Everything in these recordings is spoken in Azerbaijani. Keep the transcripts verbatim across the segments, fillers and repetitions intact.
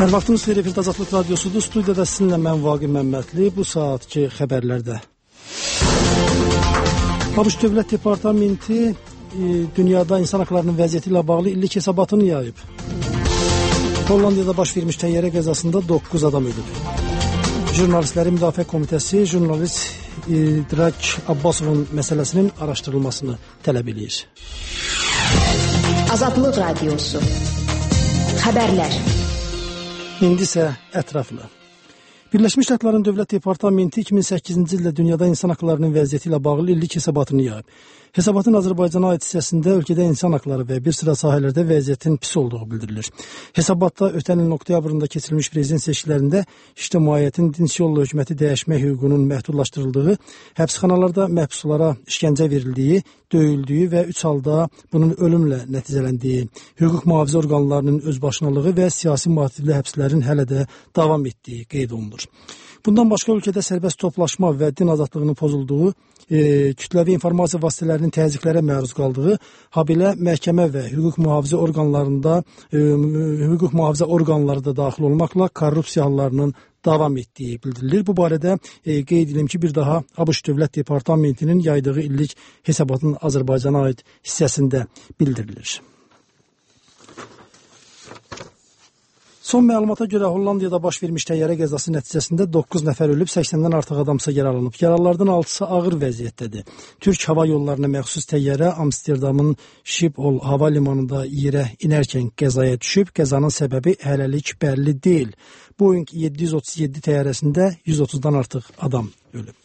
Hər vaxtınız xeyir, efirdə Azadlıq Radiosudur. Studiyada sizinlə mən Vaqif Məmmədli. Bu saatki xəbərlərdə ABŞ Dövlət Departamenti e, dünyada insan haqlarının vəziyyəti ilə bağlı illik hesabatını yayıb. Hollandiyada baş vermiş təyyarə qəzasında doqquz adam ölüb. Jurnalistlərin Müdafiə Komitəsi jurnalist İdraç Abbasovun məsələsinin araşdırılmasını tələb edir. Azadlıq Radiosu xəbərlər. İndi isə ətraflı. Birləşmiş Ştatların Dövlət Departamenti iki min səkkizinci ildə dünyada insan haqlarının vəziyyəti ilə bağlı illik hesabatını yayıb. Hesabatın Azərbaycana aid hissəsində ölkədə insan haqları və bir sıra sahələrdə vəziyyətin pis olduğu bildirilir. Hesabatda ötən ilin oktyabrında keçirilmiş prezident seçkilərində ictimaiyyətin dinç yolla hökuməti dəyişmək hüququnun məhdudlaşdırıldığı, həbsxanalarda məhbuslara işgəncə verildiyi, döyüldüyü və üç halda bunun ölümlə nəticələndiyi, hüquq mühafizə orqanlarının özbaşınalığı və siyasi motivli həbslərin hələ də davam etdiyi qeyd olunur. Bundan başqa ölkədə sərbəst toplaşma və din azadlığının pozulduğu, e, kütləvi informasiya vasitələrinin təzyiqlərə məruz qaldığı, habelə məhkəmə və hüquq mühafizə orqanlarında, e, hüquq mühafizə orqanları da daxil olmaqla korrupsiya hallarının davam etdiyi bildirilir. Bu barədə e, qeyd edim ki, bir daha ABŞ Dövlət Departamentinin yaydığı illik hesabatın Azərbaycana aid hissəsində bildirilir. Son məlumata görə Hollandiyada baş vermiş təyyarə qəzası nəticəsində doqquz nəfər ölüb, səksəndən artıq adamsa yaralanıb. Yaralılardan altısı ağır vəziyyətdədir. Türk hava yollarına məxsus təyyarə Amsterdamın Schiphol hava limanında yerə inərkən qəzaya düşüb. Qəzanın səbəbi hələlik bəlli deyil. Boeing yeddi yüz otuz yeddi təyyarəsində yüz otuzdan artıq adam ölüb.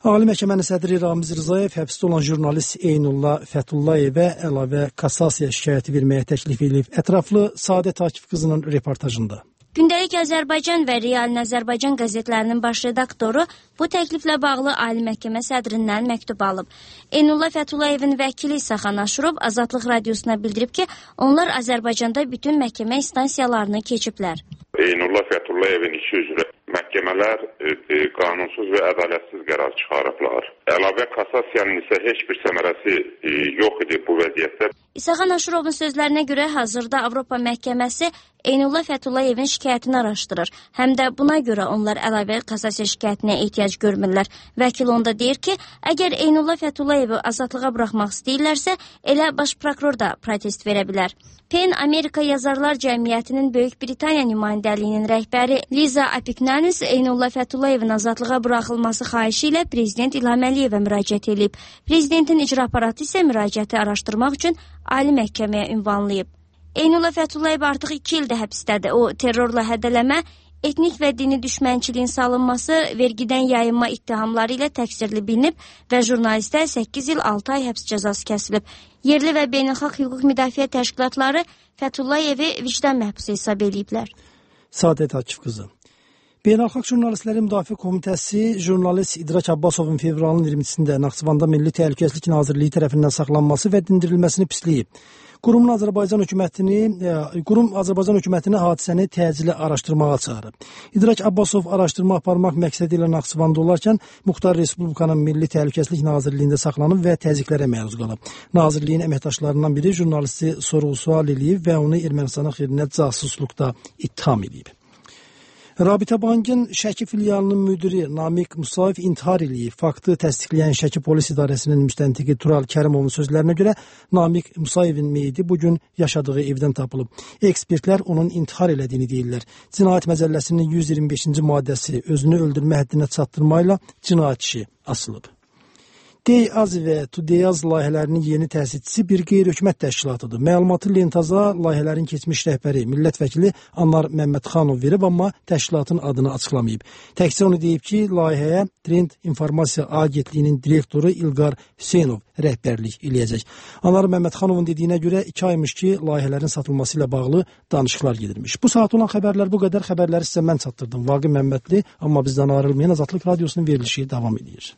Ali Məhkəmənin sədri Ramiz Rzayev həbsdə olan jurnalist Eynullah Fətullayevə əlavə kassasiya şikayəti verməyə təklif edilib. Ətraflı Sadət Akif qızının reportajında. Gündəlik Azərbaycan və Realin Azərbaycan qəzetlərinin baş redaktoru bu təkliflə bağlı Ali Məhkəmə sədrindən məktub alıb. Eynullah Fətullayevin vəkili İsaxan Aşurov Azadlıq Radiosuna bildirib ki, onlar Azərbaycanda bütün məhkəmə instansiyalarını keçiblər. Eynullah Fətullayevin işi üzrə məhkəmələr e, qanunsuz və ədalətsiz qərar çıxarıblar. Əlavə kassasiyanın isə heç bir səmərəsi e, yox idi bu vəziyyətdə. İsaxan Aşurovun sözlərinə görə hazırda Avropa məhkəməsi Eynullah Fətullayevin şikayətini araşdırır. Həm də buna görə onlar əlavə kassasiya şikayətinə ehtiyac görmürlər. Vəkil onda deyir ki, əgər Eynullah Fətullayevi azadlığa buraxmaq istəyirlərsə, elə baş prokuror da protest verə bilər. PEN Amerika Yazarlar Cəmiyyətinin Böyük Britaniya nümayəndəliyinin rəhbəri Liza Apiknanis Eynullah Fətullayevin azadlığa buraxılması xahişi ilə Prezident İlham Əliyevə müraciət edib. Prezidentin icra aparatı isə müraciəti araşdırmaq üçün Ali Məhkəməyə ünvanlayıb. Eynullah Fətullayev artıq iki ildə həbsdədir. O, terrorla hədələmə, etnik və dini düşmənçiliyin salınması, vergidən yayınma ittihamları ilə təqsirli bilinib və jurnalistə səkkiz il altı ay həbs cəzası kəsilib. Yerli və beynəlxalq hüquq müdafiə təşkilatları Fətullayevi vicdan məhbusu hesab ediblər. Sadət Akif qızı. Beynəlxalq Jurnalistlərin Müdafiə Komitəsi jurnalist İdraç Abbasovun fevralın iyirmisində Naxçıvanda Milli Təhlükəsizlik Nazirliyi tərəfindən saxlanması və dindirilməsini pisləyib. Qurumun Azərbaycan hökumətini, Qurum Azərbaycan hökumətini hadisəni təcili araşdırmağa çağırıb. İdraç Abbasov araşdırma aparmaq məqsədi ilə Naxçıvanda olarkən Muxtar Respublikanın Milli Təhlükəsizlik Nazirliyində saxlanıb və təzyiqlərə məruz qalıb. Nazirliyin əməkdaşlarından biri jurnalisti sorğu-sual eləyib və onu Ermənistanın xeyrinə casusluqda ittiham edib. Rabitə Bankın Şəki filialının müdiri Namiq Musayev intihar eləyib. Faktı təsdiqləyən Şəki Polis İdarəsinin müstəntiqi Tural Kərimovun sözlərinə görə Namiq Musayevin meyidi bugün yaşadığı evdən tapılıb. Ekspertlər onun intihar elədiyini deyirlər. Cinayət Məcəlləsinin yüz iyirmi beşinci maddəsi özünü öldürmə həddinə çatdırmayla cinayət işi asılıb. Deyaz və Tudeyaz layihələrinin yeni təsisçisi bir qeyri-hökumət təşkilatıdır. Məlumatı Lentaza layihələrin keçmiş rəhbəri, millət vəkili Anar Məmmədxanov verib, amma təşkilatın adını açıqlamayıb. Təkcə onu deyib ki, layihəyə Trend İnformasiya Agentliyinin direktoru İlqar Hüseynov rəhbərlik eləyəcək. Anar Məmmədxanovun dediyinə görə iki aymış ki, layihələrin satılması ilə bağlı danışıqlar gedirmiş. Bu saat olan xəbərlər bu qədər. Xəbərləri sizə mən çatdırdım. Vaqif Məmmədli, amma bizdən ayrılmayan Azadlıq Radiosunun verilişi davam edir.